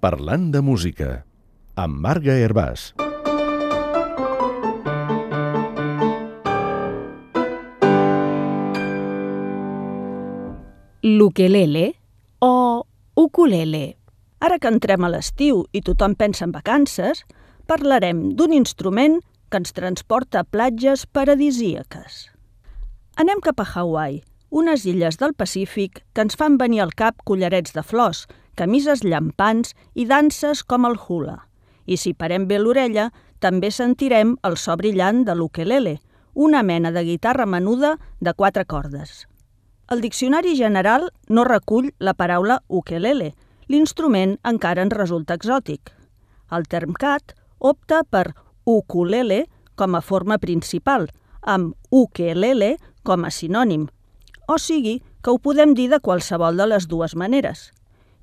Parlant de música, amb Marga Hervàs. L'ukelele o ukulele. Ara que entrem a l'estiu i tothom pensa en vacances, parlarem d'un instrument que ens transporta a platges paradisíaques. Anem cap a Hawaii, unes illes del Pacífic que ens fan venir al cap collarets de flors, camises llampants i danses com el hula. I si parem bé l'orella, també sentirem el so brillant de l'ukelele, una mena de guitarra menuda de 4 cordes. El Diccionari General no recull la paraula ukelele. L'instrument encara ens resulta exòtic. El Termcat opta per ukulele com a forma principal, amb ukelele com a sinònim. O sigui que ho podem dir de qualsevol de les dues maneres.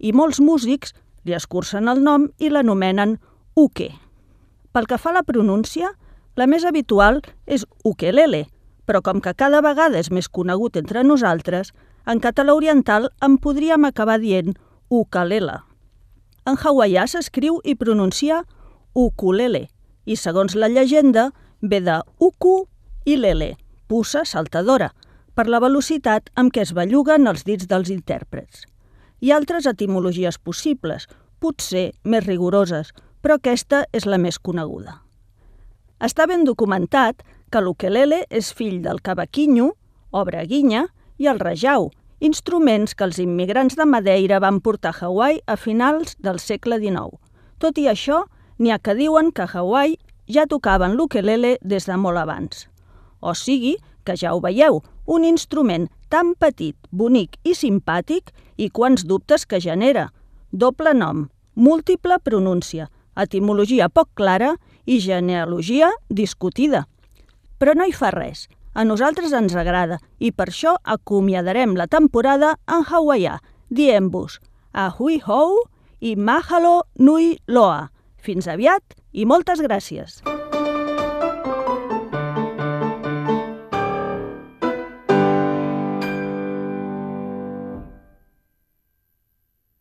I molts músics li escurcen el nom i l'anomenen uke. Pel que fa a la pronúncia, la més habitual és ukelele, però com que cada vegada és més conegut entre nosaltres, en català oriental en podríem acabar dient ukulele. En hawaià s'escriu i pronuncia ukulele, i segons la llegenda ve de uku i lele, puça saltadora, per la velocitat amb què es belluguen els dits dels intèrprets. Hi ha altres etimologies possibles, potser més rigoroses, però aquesta és la més coneguda. Està ben documentat que l'ukelele és fill del cavaquinho, o braguinya, i el rajau, instruments que els immigrants de Madeira van portar a Hawaii a finals del segle XIX. Tot i això, n'hi ha que diuen que a Hawaii ja tocaven l'ukelele des de molt abans. O sigui que ja ho veieu, un instrument tan petit, bonic i simpàtic i quants dubtes que genera. Doble nom, múltiple pronúncia, etimologia poc clara i genealogia discutida. Però no hi fa res. A nosaltres ens agrada i per això acomiadarem la temporada en hawaià, dient-vos ahui hou i mahalo nui loa. Fins aviat i moltes gràcies!